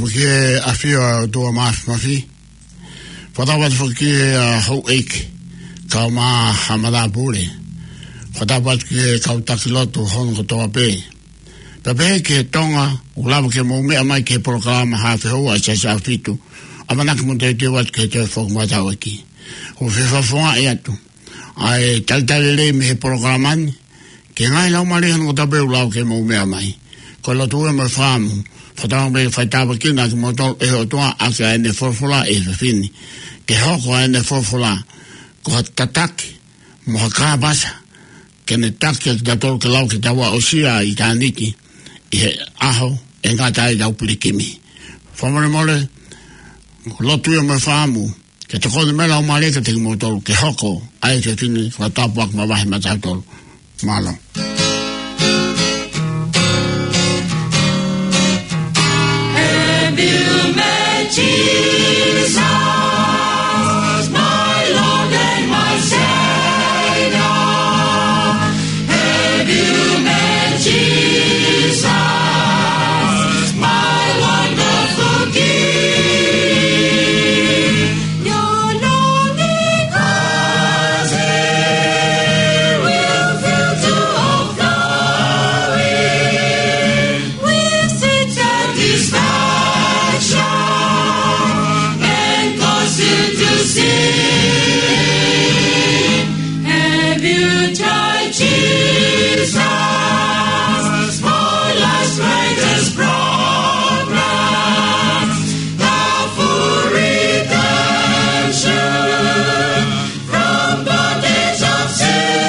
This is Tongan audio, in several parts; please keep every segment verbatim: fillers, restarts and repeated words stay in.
Ki he ʻafio ʻa e ʻOtua Māfimafi. Fakatapu atu foki ki he, ʻa, houʻeiki, kau mā hamalapule. Fakatapu atu ki he kau taki lotu hono kotoa pē. Pea pehē ki he Tonga, ʻoku lava ke mou meʻa mai ki he polokalama Haafe Houa ʻa e Siasi ʻAhofitu. ʻAmanaki mo teuteu atu ki he toe foki matauʻaki. ʻOku fefakafofongaʻi atu ʻa e talitali lelei mei he polokalama ni ki he ngaahi laumālie hono kotoa pē ʻoku lava ke mou meʻa mai. Ko e lotu ia mo e fakaʻamu, fakatauange ke fai tāpuekina kimoutolu ʻe he ʻOtua ʻaki ʻa ʻene folofola he efiafi ni. Ke hoko ʻa ʻene folofola ko ha tataki mo ha kāpasa ke ne taki ʻa kitautolu ke lava ke tau aʻusia ʻa ʻitāniti ʻi he ʻaho ʻe ngata ai ʻetau pilikimi. Fakamolemole, lotu ia mo e fakaʻamu ke tokoni mai e Laumālie kiate kimoutolu ke hoko ʻa e efiafi ni ko ha tāpuaki makehe maʻatautolu. Mālō. Have you met Jesus, my Lord and my Savior? Have you met Jesus, my wonderful King? Your longing heart will fill to overflowing with sweet satisfaction and cause you to sing. Have you tried Jesus? For life's greatest problem, the full redemption from bondage of sin.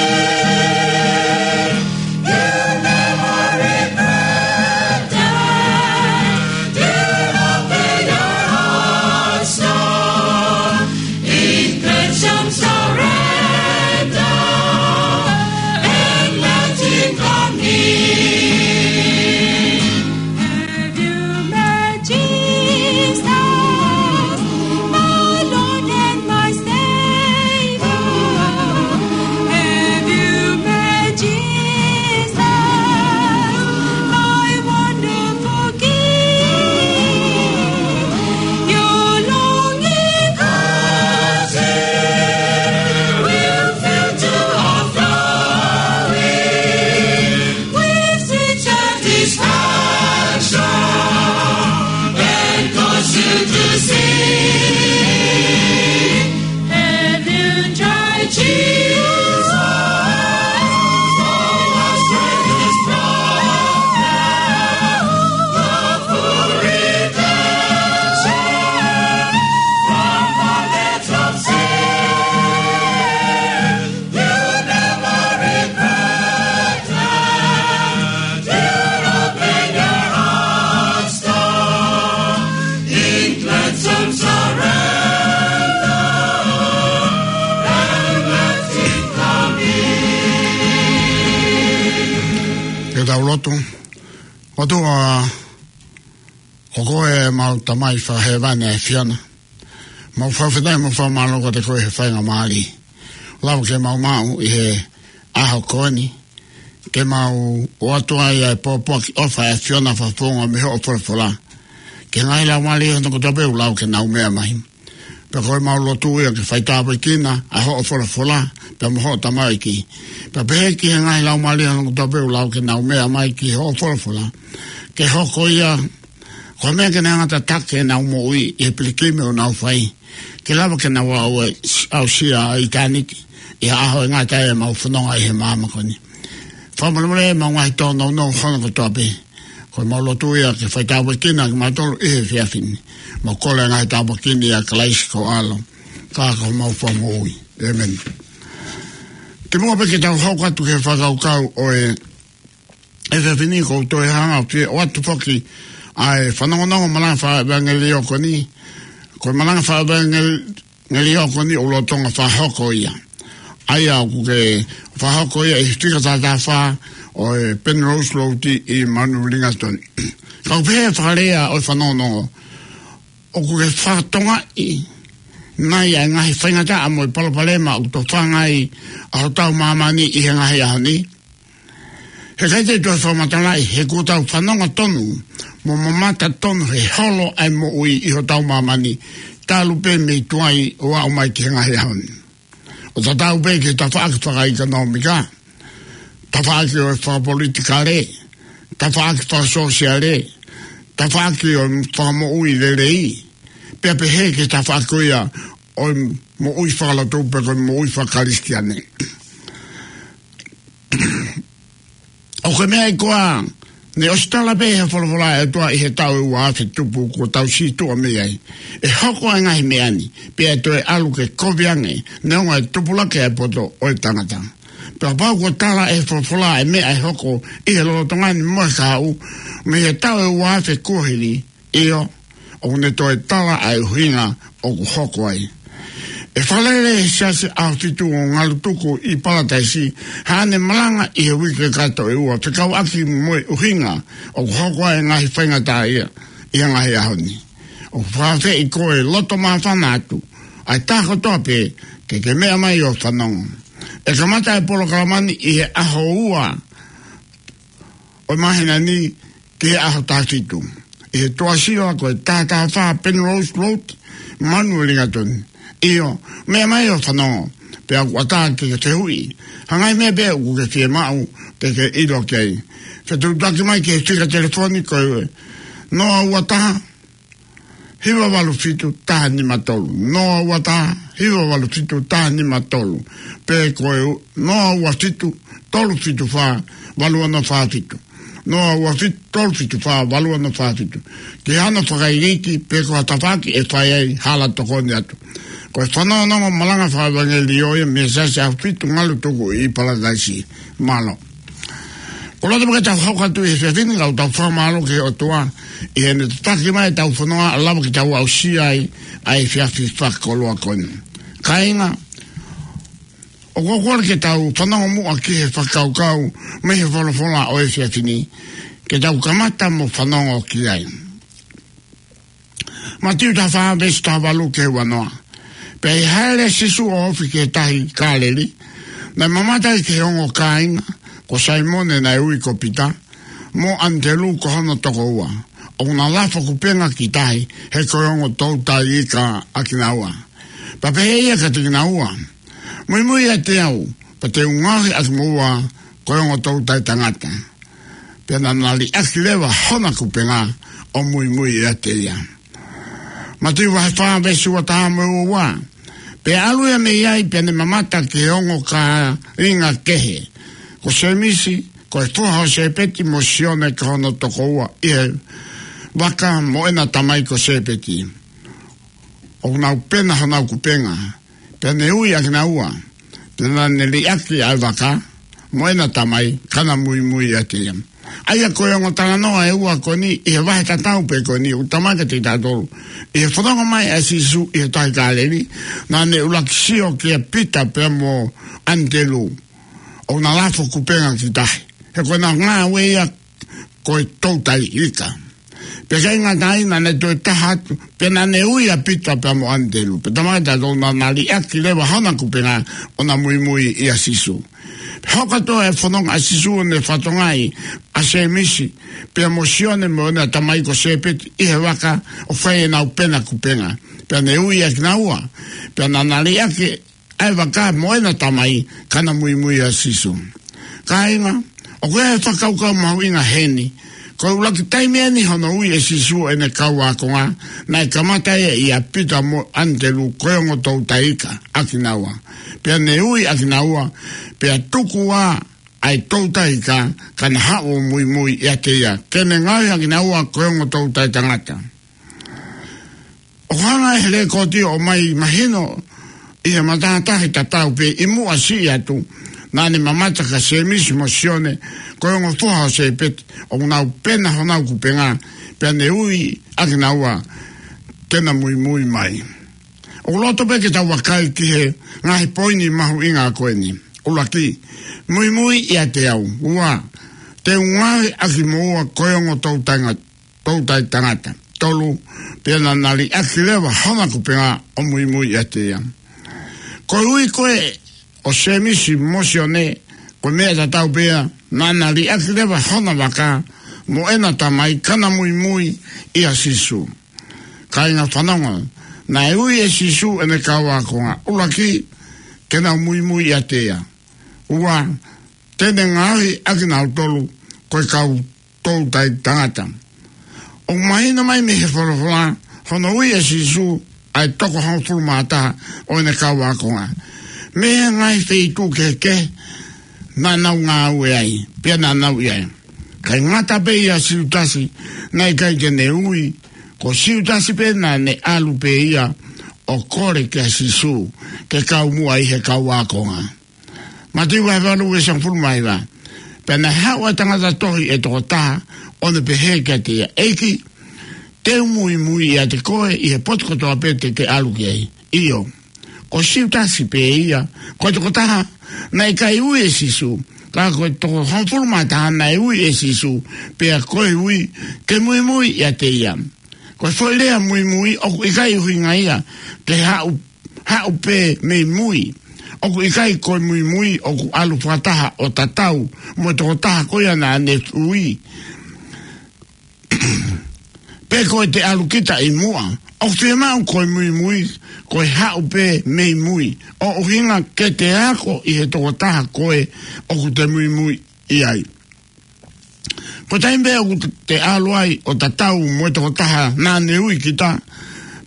You never regret it. Did open your hearts, Lord, in cleansing surrender and let Him come in. Have you met Jesus, my Lord and my Savior? Have you met Jesus, my wonderful King? Your longing heart will fill to overflowing with sweet satisfaction and cause you to sing. Have you tried Jesus? For us greatest problem, the full redemption from bondage of sin. You never regret it. You open your hearts, Lord, in cleansing surrender and let Him come in. Ke tau lotu. ʻOtua, ko koe ʻemau Tamai fakahēvani ʻa e ʻAfiona. Mau fakafetaʻi mo fakamālō kiate koe he faingamālie ʻoku lava ke mau maʻu ʻi he ʻaho ko eni, ke mau ʻoatu ai ʻa e pōpoaki ʻofa ʻa e ʻAfiona fakafofonga mei hoʻo folofola ki he ngaahi laumālie hono kotoa pē ʻoku lava ke nau meʻa mai. Pea ko ʻemau lotu ia ke fai tāpuekina ʻa hoʻo folofola pea mo hoʻo tamaiki. Pea pehē ki he ngaahi laumālie hono kotoa pē ʻoku lava ke nau meʻa mai ki hoʻo folofola, ke hoko ia ko e meʻa ke ne hanga ʻo tataki ʻenau moʻui ʻi he pilikimi ʻoku nau fai, ke lava ke nau aʻu, aʻusia ʻa ʻitāniti ʻi he ʻaho ʻe ngata ai ʻemau fononga ʻi he māmani ko eni. Fakamolemole ʻemau ngaahi tōnounou hono kotoa pē. Ko ʻemau lotu ia ke fai tāpuekina kimautolu ʻi he efiafi ni. Mau kole ʻa e ngaahi tāpuaki ni ʻia Kalaisi ko ho ʻAlo, ka ko homau Fakamoʻui. ʻĒmeni. Kimuʻa pē ke tau hoko atu ki he fakakaukau ʻo e efiafi ni, ʻoku ou toe hanga ʻo fie ʻoatu foki ʻa e fanongonongo malanga fakaʻevangeliō ko eni. Ko e malanga fakaʻevangeliō ko eni ʻoku lolotonga fakahoko ia. ʻA ia ʻoku ke fakahoko ia ʻi he fika taha taha fā ʻo e Penrose Road ʻi Mount Wellington. Ka ʻoku pehē ʻa e fakalea ʻo e fanongonongo: ʻOku ke fakatokangaʻi nai ʻa e ngaahi faingataʻa mo e palopalema ʻoku tofanga ai ʻa hotau māmani ʻi he ngaahi ʻaho ni? He ʻikai te u toe fakamatalaʻi, he kuo tau fanongo tonu mo mamata tonu he holo ʻa e moʻui ʻi hotau māmani, talu pē mei tuai ʻo aʻu mai ki he ngaahi ʻaho ni. ʻO tatau pē ki he tafaʻaki fakaʻekonōmika, tafaʻaki ʻo e fakapolitikale, tafaʻaki fakasōsiale, tafaʻaki ʻo e fakamoʻui lelei, pea pehē ki he tafaʻaki ko ia ʻo e moʻui fakalotu pe ko e moʻui fakakalisitiane. ʻOku ʻi ai e meʻa ʻi koā, ne ʻosi tala pē he folofola ʻa e ʻOtua ʻi he taʻu ʻe ua afe tupu kuo tau situʻa mei ai, ʻe hoko ʻa e ngaahi meʻa ni, pea ʻe toe ʻalu ke kovi ange, neongo e tupulaki ʻa e poto ʻo e tangata. Pea pau kuo tala ʻe he folofola ʻa e meʻa ʻe hoko ʻi he lolotonga ni mo e kahaʻu, mei he taʻu ʻe ua afe kuohili, ʻio, ʻoku ne toe tala ʻa e ʻuhinga ʻoku hoko ai. ʻE fakalele ʻe he Siasi ʻAhofitu ʻo Ngalutuku ʻi Palataisi haʻane malanga ʻi he uike kakato ʻe ua fekauʻaki mo e ʻuhinga ʻoku hoko ai e ngaahi faingataʻaʻia ʻi he ngaahi ʻaho ni. ʻOku fakaafeʻi koe loto māfana atu, ʻa e taha kotoa pē, ke ke meʻa mai ʻo fanongo. ʻE kamata e polokalama ni ʻi he ʻaho ua ʻo e māhina ni ki he ʻaho taha fitu. ʻI he Tuʻasila ko e taha taha fā Penrose Road, Manurelingaton. ʻIo, meʻa mai ʻo fanongo, pea ʻoku ʻatā ke ke fehuʻi ha ngaahi meʻa pē ʻoku ke fiemaʻu ke ke ʻilo ki ai. Fetuʻutaki mai ki he fika telefoni ko e noa ua taha, hiva valu fitu, taha nima tolu. Noa ua taha, hiva valu fitu, taha nima tolu. Pe ko e noa ua fitu, tolu fitu fā, valu ono fā fitu. Noa ua fitu, tolu fitu fā, valu ono fā fitu. Ki hano fakaikiiki, pe ko ha tafaʻaki ʻe fai ai hala tokoni atu. Ko e fanongonongo malanga fakaevangelio ia mei he Siasi ʻAhofitu Ngalutuku ʻi Palataisi. Mālō. Ko e loto pē ke tau hoko atu ʻi he efiafi ni, kau tau fakamālō ki he ʻOtua ʻi heʻene tataki mai ʻetau fononga ʻo lava ke tau aʻusia ai ʻa e efiafi fakakoloa ko eni. Kāinga, ʻoku ou kole ke tau fanongo muʻa ki he fakakaukau mei he folofola ʻo e efiafi ni, ke tau kamata mo fanongo ki ai. Mātiu taha fā veesi taha valu ki he ua noa. Pea ʻi he hāʻele ʻa Sīsū ʻo ofi ki he tahi Kāleli, naʻe mamata ai ki he ongo kāinga, ko Saimone naʻe ui ko Pita, mo ʻAnitelū ko hono tokoua, ʻoku na lafo kupenga ki tahi, he ko e ongo toutai ika ʻa kinaua. Pea pehē ʻe ia kiate kinaua, Muimui ʻiate au, pea te u ngaohi ʻa kimoua ko e ongo toutai tangata. Pea naʻa na liʻaki leva hona kupenga ʻo muimui ʻiate ia. Mātiu vahe fā veesi ua taha mo e ua ua. Pea ʻalu ia mei ai pea ne mamata ki he ongo kāinga kehe, ko Sēmisi, ko e foha ʻo Sēpeti, mo Sione ko hono tokoua, ʻi he vaka mo ʻena tamai ko Sēpeti, ʻoku nau pena honau kupenga. Pea ne ui ʻa kinaua, pea naʻa ne liʻaki ʻa e vaka mo ʻena tamai, ka na muimui ʻiate ia. ʻA ia ko e ongo talanoa ʻe ua ko eni ʻi he vahe tatau pē ko eni, ʻoku talamai kiate kitautolu, ʻi he fononga mai ʻa Sīsū ʻi he tahi Kāleli, naʻa ne ʻuluaki sio kia Pita pea mo ʻAnitelū, ʻoku na lafo kupenga ki tahi, he ko ʻena ngāue ia ko e toutai ika. Pea ʻikai ngata ai, naʻa ne toe taha atu, pea naʻa ne ui ʻa Pita pea mo ʻAnitelū. Pea talamai kiate kitautolu naʻa na liʻaki leva hona kupenga ʻo na muimui ʻia Sīsū. Pea hoko atu e fononga ʻa Sīsū ʻo ne fakatokangaʻi ʻa Sēmisi, pea mo Sione mo ʻena tamai ko Sēpeti ʻi he vaka ʻo fai ʻenau pena kupenga. Pea ne ui ʻa kinaua, pea naʻa na liʻaki ʻa e vaka mo ʻena tamai, ka na muimui ʻia Sīsū. Kāinga, ʻoku ʻi ai e fakakaukau mahuʻinga heni. Ko e ʻuluaki taimi eni hono ui ʻe Sīsū ʻene kau ākonga, naʻe kamata ia ʻia Pita mo ʻAnitelū ko e ongo toutai ika ʻa kinaua. Pea ne ui ʻa kinaua, pea tuku ā ʻa e toutai ika, ka na haʻu ʻo muimui ʻiate ia, ke ne ngaohi ʻa kinaua ko e ongo toutai tangata. ʻOku hanga ʻe he lekooti ʻo ʻomai mahino ʻi he matātahi tatau pē ʻi muʻa siʻi atu, naʻa ne mamata kia Sēmisi mo Sione, ko e ongo foha ʻo Sēpeti, ʻoku nau pena honau kupenga, pea ne ui ʻa kinaua ke na muimui mai. ʻOku loto pē ke tau vakai ki he ngaahi poini mahuʻinga ko eni. ʻUluaki, muimui ʻiate au. Ua, te u ngaohi ʻa kimoua ko e ongo toutai nga-, toutai tangata. Tolu, pea naʻa na liʻaki leva hona kupenga ʻo muimui ʻiate ia. Ko e ui ko ē ʻo Sēmisi mo Sione Ko e meʻa tatau pē ia, naʻa na liʻaki leva hona vaka mo ʻena tamai ka na muimui ʻia Sīsū. Kāinga fanongo, naʻe ui ʻe Sīsū ʻene kau ākonga, ʻuluaki, ke nau muimui ʻiate ia. Ua, te ne ngaohi ʻakinautolu ko e kau toutai tangata. ʻOku mahino mai mei he folofola hono ui ʻe Sīsū ʻa e toko hongofulu mā taha ʻo ʻene kau ākonga mei he ngaahi feituʻu kehekehe naʻa nau ngāue ai, pea naʻa nau ʻi ai. Kae ngata pē ʻia Siutasi, naʻe ʻikai ke ne ui, ko Siutasi pē naʻa ne ʻalu pē ia ʻo kole kia Sīsū ke kau muʻa ʻi he kau ākonga. Mātiu vahe valu veesi hongofulu mā hiva. Pea naʻe haʻu ʻa e tangata tohi ʻe toko taha, ʻo ne pehē kiate ia, ʻEiki, te u muimui ʻiate koe ʻi he potu kotoa pē te ke ʻalu ki ai. ʻIo, ko Siutasi pē ia, ko e toko taha naʻe ʻikai ui ʻe Sīsū, ka ko e toko hongofulu mā taha naʻe ui ʻe Sīsū, pea ko e ui ke muimui ʻiate ia. Ko e foʻi lea muimui ʻoku ʻikai ʻuhinga ia ke haʻu, haʻu pē mei mui. ʻOku ʻikai ko e muimui ʻoku ʻalu fakataha ʻo tatau mo e toko taha ko ia naʻa ne ui, pe ko e te ʻalu kita ʻi muʻa. ʻOku fiemaʻu ko e muimui ko e haʻu pē mei mui, ʻo ʻuhinga ke te ako ʻi he toko taha ko ē ʻoku te muimui ʻi ai. Ko e taimi pē ʻoku te ʻalu ai ʻo tatau mo e toko taha naʻa ne ui kita,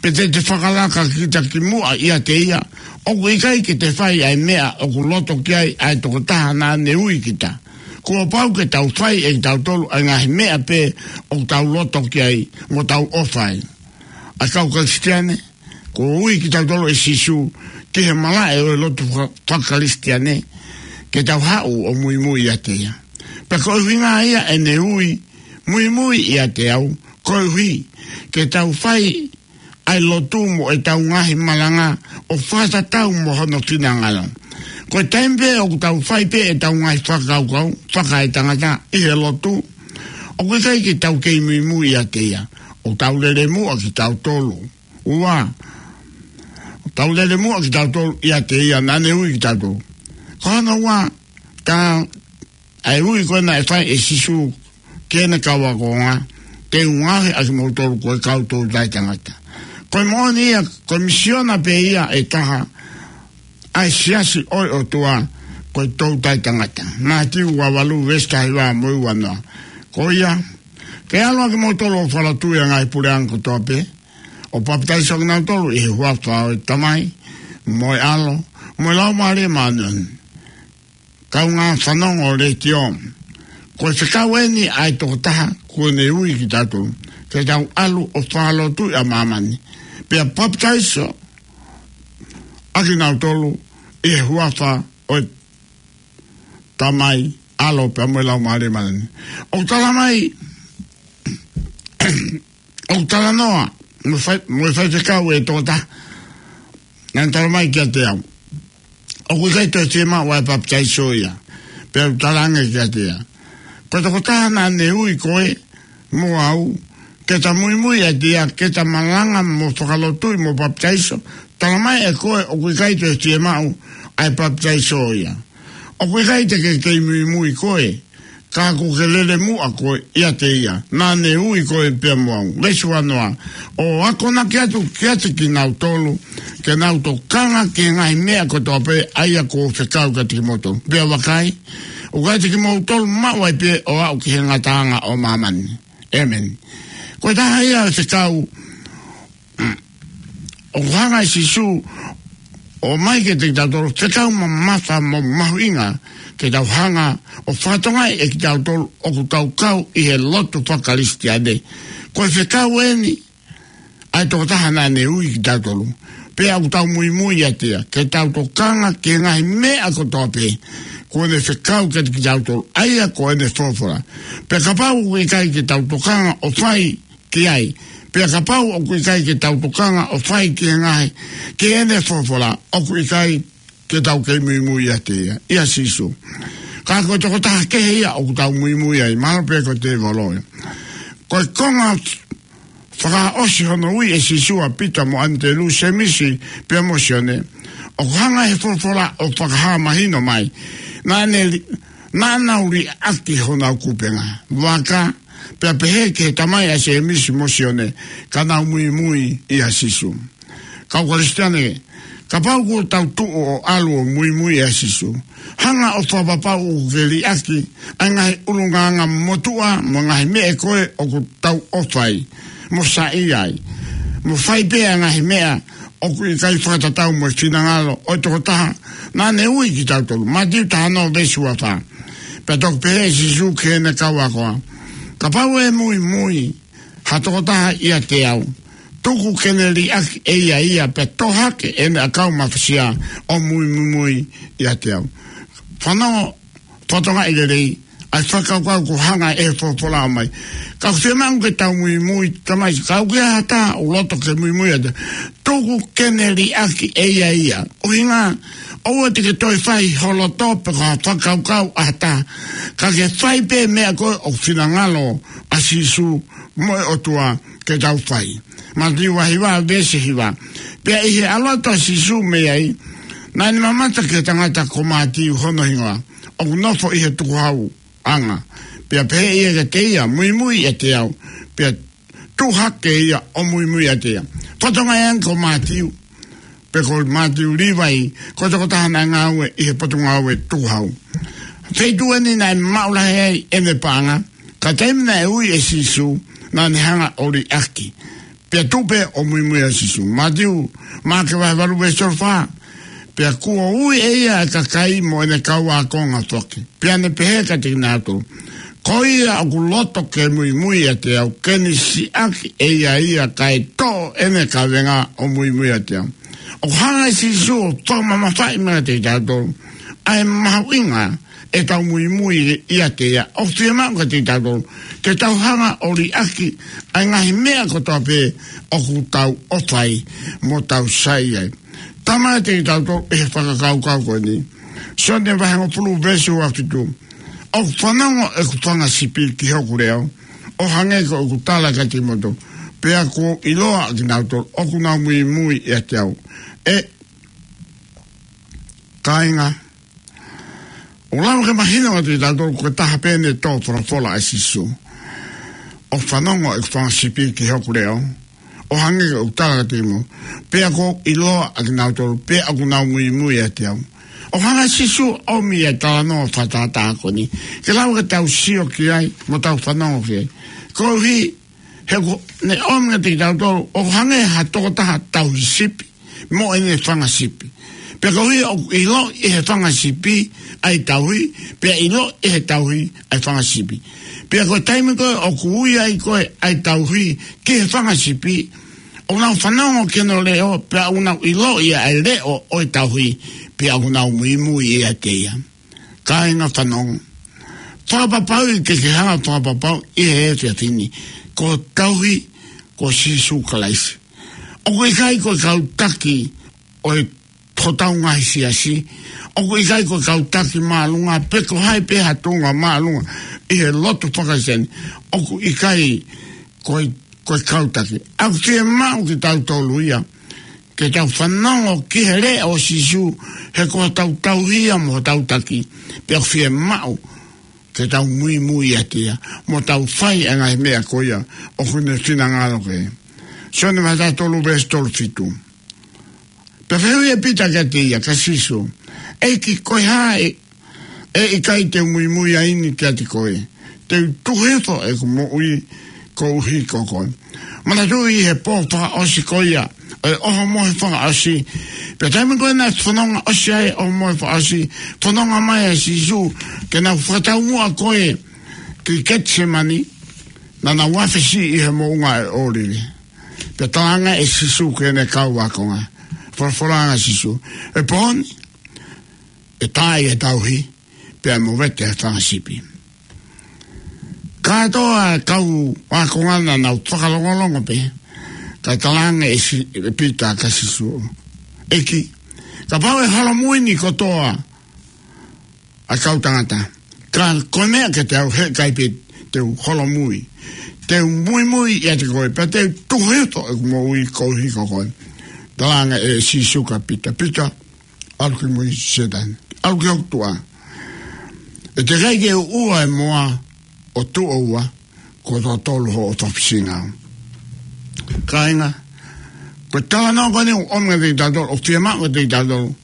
pe te te fakalaka kita ki muʻa ʻiate ia, ʻoku ʻikai ke te fai ʻa e meʻa ʻoku loto ki ai ʻa e toko taha naʻa ne ui kita. Kuo pau ke tau fai ʻe kitautolu ʻa e ngaahi meʻa pē ʻoku tau loto ki ai mo tau ʻofa ai. ʻA e kau Kalisitiane, kuo ui kitautolu ʻe Sīsū ki he malaʻe ʻo e lotu faka-, fakakalisitiane, ke tau haʻu ʻo muimui ʻiate ia. Pea ko e ʻuhinga ia ʻene ui, muimui ʻiate au, koeʻuhi ke tau fai ʻa e lotu mo ʻetau ngaahi malanga ʻo fakatatau mo hono finangalo. Ko e taimi pē ʻoku tau fai pē ʻetau ngaahi fakakaukau fakaetangata ʻi he lotu, ʻoku ʻikai ke tau kei muimui ʻiate ia, ʻoku tau lele muʻa kitautolu. Ua, ʻoku tau lele muʻa kitautolu ʻiate ia naʻa ne ui kitautolu. Ko hono ua, tā ʻa e ui ko ē naʻe fai ʻe Sīsū ki heʻene kau ākonga, te u ngaohi ʻakimoutolu ko e kau toutai tangata. Ko e moʻoni ia, ko e misiona pē ia ʻe taha ʻa e siasi ʻo e ʻOtua, ko e toutai tangata. Mātiu vahe valu veesi taha hiva mo e ua noa. Ko ia, ke ʻalu ʻakimoutolu ʻo fakalotuʻi ʻa e ngaahi puleʻanga kotoa pē, ʻo papitaiso ʻakinautolu ʻi he huafa ʻo e Tamai, mo e ʻAlo, mo e Laumālie Māʻoniʻoni. Kaungā fanongo letiō, ko e fekau eni ʻa e toko taha kuo ne ui kitautolu ke tau ʻalu ʻo fakalotuʻi ʻa māmani, pea papitaiso ʻakinautolu ʻi he huafa ʻo e Tamai, ʻAlo pea mo e Laumālie Māʻoniʻoni. ʻOku tala mai, ʻoku talanoa mo e fai, mo e faifekau ʻe toko taha, naʻa ne tala mai kiate au, ʻoku ʻikai toe fiemaʻu ʻa e papitaiso ia. Pea u talaange kiate ia, ko e toko taha naʻa ne ui koe mo au ke ta muimui ʻiate ia, ke ta malanga mo fakalotuʻi mo papitaiso, tala mai ʻe koe ʻoku ʻikai toe fiemaʻu ʻa e papitaiso ia. ʻOku ʻikai te ke kei muimui koe, ka kuo ke lele muʻa koe ʻiate ia naʻa ne ui koe pea mo au. Veesi ua noa. ʻO akonaki atu kiate kinautolu ke nau tokanga ki he ngaahi meʻa kotoa pē ʻa ia kuo u fekau kiate kimoutolu. Pea vakai, ʻoku ʻiate kimoutolu maʻu ai pē ʻo aʻu ki he ngataʻanga ʻo māmani. ʻĒmeni. Ko e taha ia e fekau ʻoku hanga ʻe Sīsū ʻo ʻomai kiate kitautolu, fekau mamafa mo mahuʻinga ke tau hanga ʻo fakatokangaʻi ʻe kitautolu ʻoku tau kau ʻi he lotu fakakalisitiane. Ko e fekau eni ʻa e toko taha naʻa ne ui kitautolu, pea ʻoku tau muimui ʻiate ia, ke tau tokanga ki he ngaahi meʻa kotoa pē kuo ne fekau kiate kitautolu, ʻa ia ko ʻene folofola. Pea kapau ʻoku ʻikai ke tau tokanga ʻo fai ki ai, pea kapau ʻoku ʻikai ke tau tokanga ʻo fai ki he ngaahi, ki heʻene folofola, ʻoku ʻikai ke tau kei muimui ʻiate ia, ʻia Sīsū. Ka ko e toko taha kehe ia ʻoku tau muimui ai, mahalo pē ko e tēvolo ia. Ko e konga Fakaʻosi hono ui ʻe Sīsū ʻa Pita mo ʻAnitelū, Sēmisi pea mo Sione, ʻoku hanga ʻe he folofola ʻo fakahā mahino mai naʻa ne li-, naʻa nau liʻaki honau kupenga vaka, pea pehē ki he tamai ʻa Sēmisi mo Sione, ka nau muimui ʻia Sīsū. Kau Kalisitiane, kapau kuo tau tuʻu ʻo ʻalu ʻo muimui ʻia Sīsū, hanga ʻo fakapapau ʻoku ke liʻaki ʻa e ngaahi ʻulungaanga motuʻa mo e ngaahi meʻa ko ē ʻoku tau ʻofa ai mo saiʻia ai, mo fai pē ʻa e ngaahi meʻa ʻoku ʻikai fakatatau mo e finangalo ʻo e tokotaha naʻa ne ui kitautolu. Mātiu taha ono veesi ua fā. Pea toki pehē ʻe Sīsū ki heʻene kau ako, kapau ʻe muimui ha tokotaha ʻiate au, tuku ke ne liʻaki ʻe ia ia, pea tō hake ʻene ʻakau mafasia ʻo muimui ʻiate au. Fanongo, fakatokangaʻi lelei ʻa e fakakaukau kuo hanga ʻe he folofola mai. Ka ʻoku fiemaʻu ke tau muimui, tamai, ka ʻoku ʻi ai ha taha ʻoku loto ke muimui ʻiate, tuku ke ne liʻaki ʻe ia ia. ʻUhinga, ʻoua te ke toe fai ho loto pe ko ha fakakaukau ʻa ha taha, ka ke fai pē meʻa ko ē ʻoku finangalo ʻa Sīsū mo e ʻOtua ke tau fai. Mātiu vahe hiva veesi hiva. Pea ʻi he ʻalu atu ʻa Sīsū mei ai, naʻa ne mamata ki he tangata ko Mātiu hono hingoa, ʻoku nofo ʻi he tukuhauʻanga. Pea pehē ʻe ia kiate ia, muimui ʻiate au. Pea tuʻu hake ia ʻo muimui ʻiate ia. Fakatokangaʻi ange ko Mātiu, pe ko Mātiu Līvai, ko e tokotaha naʻe ngāue ʻi he potungāue tukuhau. Feituʻu eni naʻe maʻu lahi ai ʻene paʻanga, ka taimi naʻe ui ʻe Sīsū, naʻa ne hanga ʻo liʻaki, pea tuʻu pē ʻo muimui ʻia Sīsū. Mātiu, Maʻake vahe valu veesi tolu fā. Pea kuo ui ʻe ia ʻa e kakai mo ʻene kau ākonga foki, pea ne pehē kiate kinautolu, ko ia ʻoku loto ke muimui ʻiate au, ke ne siʻaki ʻe ia ia kae toʻo ʻene kavenga ʻo muimui ʻiate au. ʻOku hanga ʻe Sīsū ʻo fakamamafaʻi mai kiate kitautolu ʻa e mahuʻinga ʻetau muimui ʻiate ia. ʻOku fiemaʻu kiate kitautolu ke tau hanga ʻo liʻaki ʻa e ngaahi meʻa kotoa pē ʻoku tau ʻofa ai mo tau saiʻia ai. Talamai kiate kitautolu ʻe he fakakaukau ko eni, Sione vahe hongofulu veesi ua fitu, ʻoku fanongo ʻeku fanga sipi ki hoku leʻo, ʻo hangē ko ʻeku tala kiate kimoutolu, pea kuo ʻiloa ʻa kinautolu ʻoku nau muimui ʻiate au. ʻE kāinga, ʻoku lava ke mahino kiate kitautolu ko e taha pē ʻene tō folofola ʻa Sīsū, ʻoku fanongo ʻeku fanga sipi ki hoku leʻo, ʻo hangē ko ʻeku tala kiate kimoutolu, pea kuo ʻiloa ʻa kinautolu, pea ʻoku nau muimui ʻiate au. ʻOku hanga ʻe Sīsū ʻo ʻomi ʻa e talanoa fakatātā ko eni ke lava ke tau sio ki ai mo tau fanongo ki ai. Koeʻuhi he kuo ne ʻomi kiate kitautolu ʻo hangē ha tokotaha tauhi sipi mo ʻene fanga sipi. Pea koeʻuhi ʻoku ʻiloʻi ʻe he fanga sipi ʻa e tauhi, pea ʻiloʻi ʻe he tauhi ʻa e fanga sipi. Pea ko e taimi ko ē ʻoku ui ai ko ē ʻa e tauhi ki he fanga sipi, ʻoku nau fanongo ki hono leʻo, pea ʻoku nau ʻiloʻi ʻa e leʻo ʻo e tauhi, pea ʻoku nau muimui ʻiate ia. Kāinga, fanongo. Fakapapauʻi ke ke hanga ʻo fakapapauʻi ʻi he efiafi ni, ko e tauhi ko Sīsū Kalaisi. ʻOku ʻikai ko e kau taki ʻo e hotau ngaahi siasi. ʻOku ʻikai ko e kau taki māʻolunga, pe ko hai pē ha tuʻunga māʻolunga ʻi he lotu faka-Kalisitiane. ʻOku ʻikai ko e, ko e kau taki. ʻOku fiemaʻu kitautolu ia ke tau fanongo ki he leʻo ʻo Sīsū, he ko hotau tauhi ia mo hotau taki. Pea ʻoku fiemaʻu ke tau muimui ʻiate ia mo tau fai ʻa e ngaahi meʻa ko ia ʻoku ne finangalo ki ai. Sione vahe taha tolu veesi tolu fitu. Pea fehuʻi ʻe Pita kiate ia, kia Sīsū, ʻEiki, ko e hā ʻe, ʻe ʻikai te u muimui ai ni kiate koe? Te u tuku hifo ʻeku moʻui koeʻuhi ko koe. Manatuʻi he pō fakaʻosi ko ia ʻo e ʻOhomohe Fakaʻosi, pea taimi ko ē naʻe fononga ʻosi ai ʻa e ʻOhomohe Fakaʻosi, fononga mai ʻa Sīsū ke nau fakataumuʻa ko ē ki Ketisemani, naʻa nau afe siʻi ʻi he moʻunga ʻo e ʻŌlive. Pea talaange ʻe Sīsū ki heʻene kau ākonga, folofola ange ʻa Sīsū, ʻE pō ni, ʻe tā ʻa e tauhi, pea movete ʻa e fanga sipi. Kātoa ʻa e kau ākonga naʻa nau fakalongolongo pē, kae talaange ʻe Si-, ʻe Pita kia Sīsū, ʻEiki, kapau ʻe holomui ni kotoa ʻa e kau tangata, ka ko e meʻa kiate au, heʻikai pē te u holomui. Te u muimui ʻiate koe, pea te u tuku hifo ʻeku moʻui koeʻuhi ko koe. Talaange ʻe Sīsū kia Pita, Pita, ʻalu ki mui Sētane. ʻAlu ki hoku tuʻa. ʻE teʻeki ai ke u ʻua e moa ʻo tuʻo ua, kuo tō tolu hoʻo tofisinga. Kāinga, ko e talanoa ko eni ʻoku ʻomi kiate kitautolu, ʻoku fiemaʻu kiate kitautolu,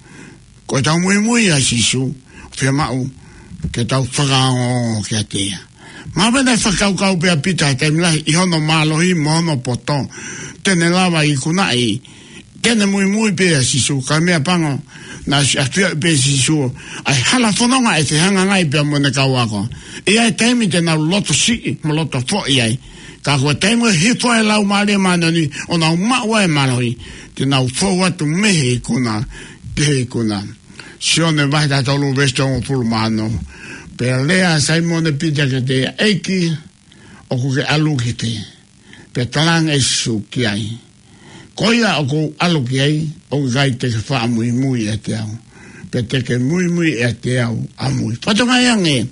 ko ʻetau muimui ʻia Sīsū, ʻoku fiemaʻu ke tau fakaongoongo kiate ia. Mahalo pē naʻe fakakaukau pē ʻa Pita he taimi lahi ʻi hono mālohi mo hono poto, te ne lava ʻo ikunaʻi, te ne muimui pē ʻia Sīsū, ka ko e meʻapango, naʻe ʻosi ʻafioʻi pē ʻe Sīsū ʻa e hala fononga ʻe fehangahangai pea mo ʻene kau ako. ʻI ai e taimi te nau loto siʻi mo loto foʻi ai. Ka ko e taimi ʻe hifo ai e Laumālie Māʻoniʻoni ʻo nau maʻu ai e mālohi, te nau fou atu mei he ikuna ki he ikuna. Sione vahe taha tolu veesi hongofulu mā ono. Pea lea ʻa Saimone Pita kiate ia, ʻEiki, ʻoku ke ʻalu ki fē? Pea talaange ʻe Sīsū ki ai, Ko ia ʻoku ou ʻalu ki ai, ʻoku ʻikai te ke faʻa muimui ʻiate au, pea te ke muimui ʻiate au ʻamui. Fakatokangaʻi ange,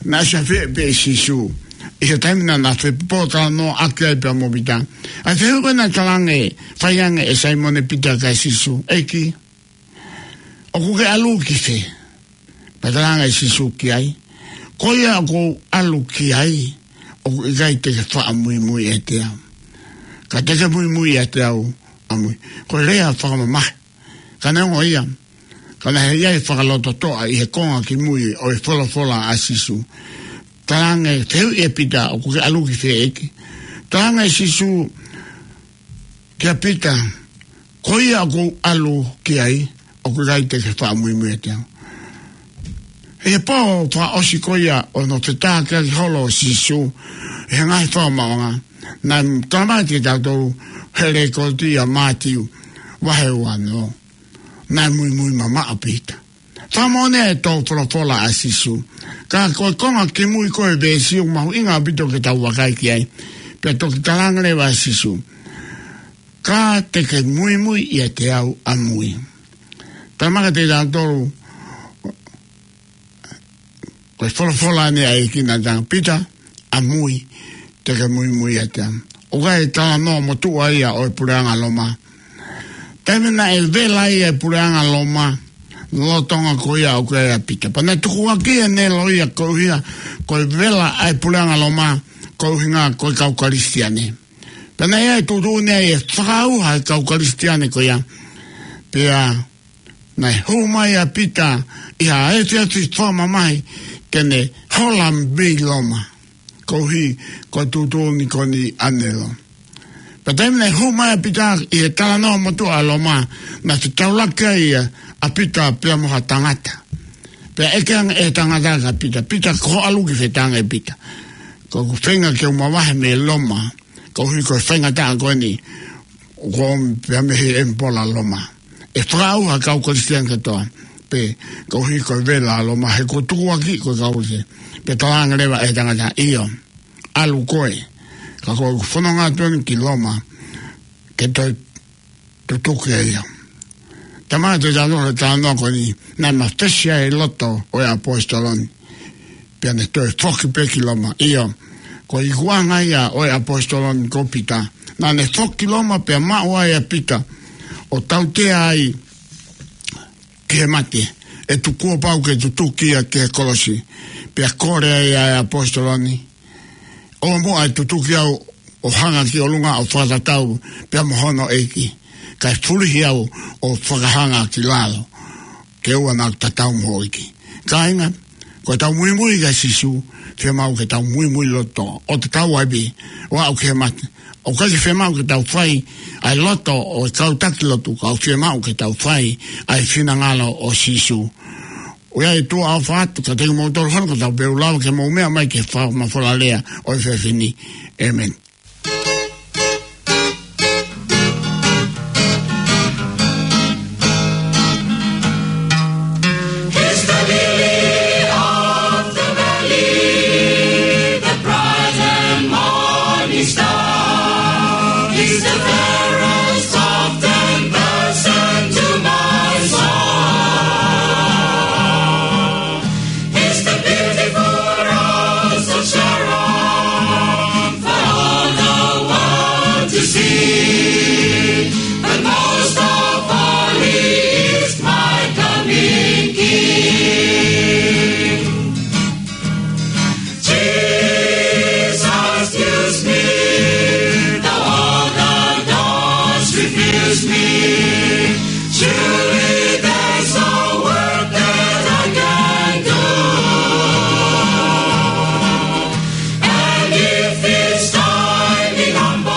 naʻe ʻosi ʻafioʻi pē ʻe Sīsū ʻi he taimi naʻa na fepōtalanoaʻaki ai pea mo Pita, ʻa e fehuʻi ko ē naʻe talaange, fai ange ʻe Saimone Pita kia Sīsū, ʻEiki, ʻoku ke ʻalu ki fē? Pea talaange ʻe Sīsū ki ai, Ko ia ʻoku ou ʻalu ki ai, ʻoku ʻikai te ke faʻa muimui ʻiate au, ka te ke muimui ʻiate au ʻamui. Ko e lea fakamamahi. Ka neongo ia, ka naʻe ʻi ai e fakalototoʻa ʻi he konga kimui ʻo e folofola ʻa Sīsū. Talaange, fehuʻi ʻe Pita, ʻOku ke ʻalu ki fē, ʻEiki? Talaange ʻe Sīsū kia Pita, Ko ia ʻoku ou ʻalu ki ai, ʻoku ʻikai te ke faʻa muimui ʻiate au. ʻI he pō fakaʻosi ko ia ʻo hono fetākiʻaki holo ʻo Sīsū ʻi he ngaahi fakamaauʻanga, naʻe talamai kiate kitautolu he lekooti ʻia Mātiu vahe uanoa, naʻe muimui mamaʻo ʻa Pita. Fakamoʻoni e tō folofola ʻa Sīsū. Ka ko e konga kimui ko ē veesi ʻoku mahuʻinga ʻaupito ke tau vakai ki ai. Pea toki talaange leva ʻe Sīsū, Ka te ke muimui ʻiate au ʻamui. Talamai kiate kitautolu, ko e folofola eni ʻa e ʻEiki naʻe talaange, Pita, ʻamui, te ke muimui ʻiate au. ʻOku ʻi ai e talanoa motuʻa ia ʻo e puleʻanga Loma. Taimi naʻe vela ai e puleʻanga Loma, lolotonga ko ia ʻoku ʻi ai ʻa Pita. Pea naʻe tukuakiʻi ʻene loia koeʻuhi ko e vela ʻa e puleʻanga Loma, ko e ʻuhinga ko e kau Kalisitiane. Pea naʻe ʻi ai e tuʻutuʻuni ai e fakaʻauha e kau Kalisitiane ko ia. Pea naʻe hū mai ʻa Pita ʻi ha efiafi fakamamahi ke ne hola mei Loma. Koeʻuhi ko e tuʻutuʻuni ko eni ʻanenai. Pea taimi naʻe hū mai ʻa Pita ʻi he talanoa motuʻa ʻa Loma, naʻe fetaulaki ai ʻa Pita pea mo ha tangata. Pea ʻeke ange ʻe he tangata kia Pita, Pita, ko hoʻo ʻalu ki fē? Talaange ʻe Pita, Ko ʻeku feinga ke u mavahe mei Loma, koeʻuhi ko e faingataʻa ko eni ʻoku ʻomi pea mei he ʻemipola Loma. ʻE fakaʻauha e kau Kalisitiane kātoa, pea koeʻuhi ko e vela ʻa Loma, he kuo tukuakiʻi ko e kau Kalisitiane. Pea talaange leva ʻe he tangata, ʻIo, ʻalu koe, ka ko ʻeku fononga atu eni ki Loma ke toe tutuki ʻa ia. Talamai kiate kitautolu he talanoa ko eni, naʻe mafesi ai e loto ʻo e ʻaposetolo ni, pea ne toe foki pē ki Loma. ʻIo, ko e ikuʻanga ia ʻo e ʻaposetolo ni ko Pita. Naʻa ne foki ki Loma pea maʻu ai ʻa Pita ʻo tautea ai ki he mate, ʻe tuku kuo pau ke tutuki ia ki he kolosi. Pea kole ai ʻa e ʻaposetolo ni, ʻOua muʻa ʻe tutuki au ʻo hanga ki ʻolunga ʻo fakatatau pea mo hono ʻEiki, kae fulihi au ʻo fakahanga ki lalo, ke ʻoua naʻa tatau mo hoʻo ʻEiki. Kāinga, ko ʻetau muimui kia Sīsū, fiemaʻu ke tau muimui loto, ʻo tatau ai pē, ʻo aʻu ki he mate. ʻOku ʻikai fiemaʻu ke tau fai ʻa e loto ʻo e kau taki lotu, ka ʻoku fiemaʻu ke tau fai ʻa e finangalo ʻo Sīsū. ʻOku ʻi ai e tuʻa ʻofa atu kiate kimoutolu hono kotoa pē, ʻoku lava ke mou meʻa mai ki he fakamafola lea ʻo e efiafi ni. ʻĒmeni. He's the lily of the valley, the bright and morning star. He's the fairest of ten thousand to my soul. He's the beautiful rose of Sharon. Surely there's a work that I can do. And if it's time in humble,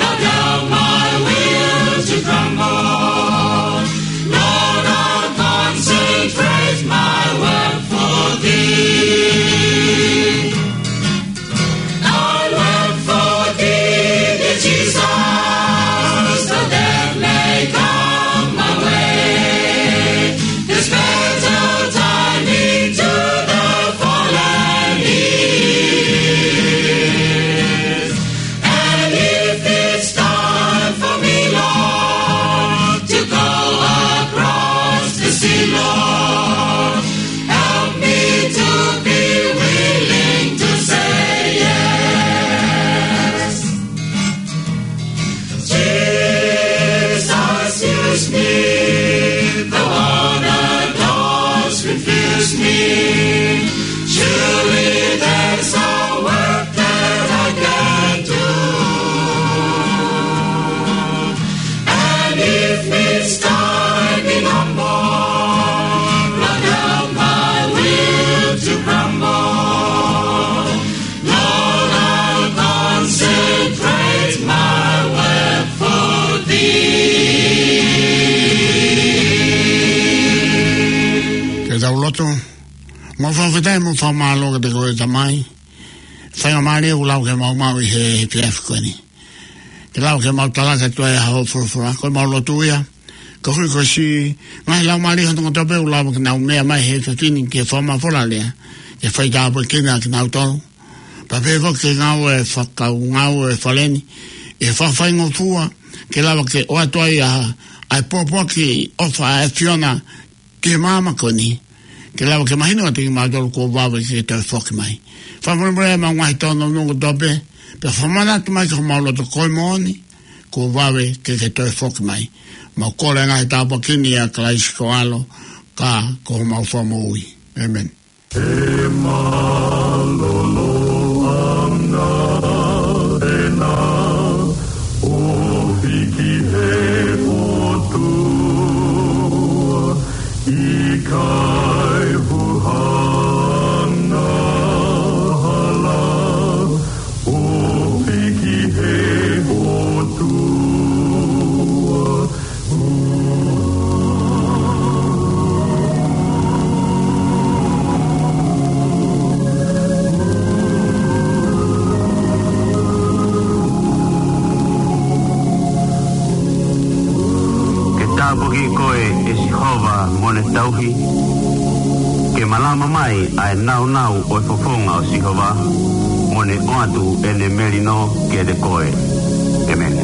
not help my will to grumble. Lord, I'll concentrate my work for thee. I work for thee, dear Jesus, so that may come my way. This battle time into the fallen years. And if it's time for me, Lord, to go across the sea, Lord, help me to be willing to say yes. Jesus, use me, though all the doors refuse me. Surely there's a work that I can do. And if it's time in humble, not help my will to grumble, Lord, I'll concentrate my work for thee. Ke tau lotu. Mau fakafetaʻi mo fakamālō kiate koe Tamai. Faingamālie ʻoku lau ke mau maʻu ʻi he efiafi ko eni. Ke lau ke mau talaki atu ai ʻa hoʻo folofola, ko ʻemau lotu ia. Koeʻuhi ko e siʻi ngaahi laumālie ʻo e tangata pē ʻoku lava ke nau meʻa mai he efiafi ni ke fakamafola lea, ke faitāpuekina kinautolu. Pea pehē foki ki he ngāue fakakaungāue ʻa e fale ni, ʻi he fakafaingofua, ke lava ke ʻoatu ai ʻa, ʻa e pōpoaki ʻofa ʻa e ʻAfiona ki he māmani ko eni, ke lava ke mahino kiate kimautolu kuo vave ke ke toe foki mai. Fakamolemole ʻemau ngaahi tōnounou kotoa pē, pea fakamanatu mai ki homau loto ko e moʻoni, kuo vave ke ke toe foki mai. Mau kole ngaahi tāpuaki ni ʻia Kalaisi ko ho ʻAlo, ka ko homau Fakamoʻui. ʻĒmeni. ʻE mālōlō ʻa e ʻAfiona, ʻo hiki he ʻOtua, ʻikai huhana hala, ʻo hiki he ʻOtua. Ke tāpuakiʻi koe ʻe Sihova mo ne tauhi, ke malama mai ʻa e nāunau ʻo e fofonga ʻo Sihova, mo ne ʻoatu ʻene melino kiate koe. ʻĒmeni.